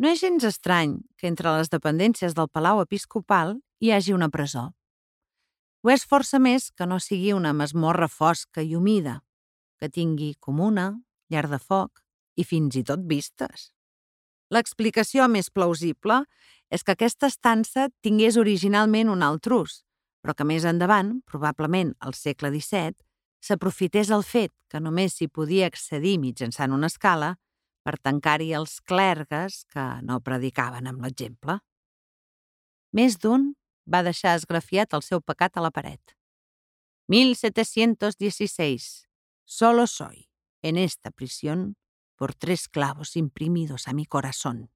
No és gens estrany que entre les dependències del Palau Episcopal hi hagi una presó. Ho és força més que no sigui una masmorra fosca i humida, que tingui comuna, llar de foc i fins i tot vistes. L'explicació més plausible és que aquesta estança tingués originalment un altre ús, però que més endavant, probablement al segle XVII, s'aprofités el fet que només s'hi podia accedir mitjançant una escala per tancar-hi els clergues que no predicaven amb l'exemple. Més d'un va deixar esgrafiat el seu pecat a la paret. 1716. Solo soy, en esta prisión, por 3 clavos imprimidos a mi corazón.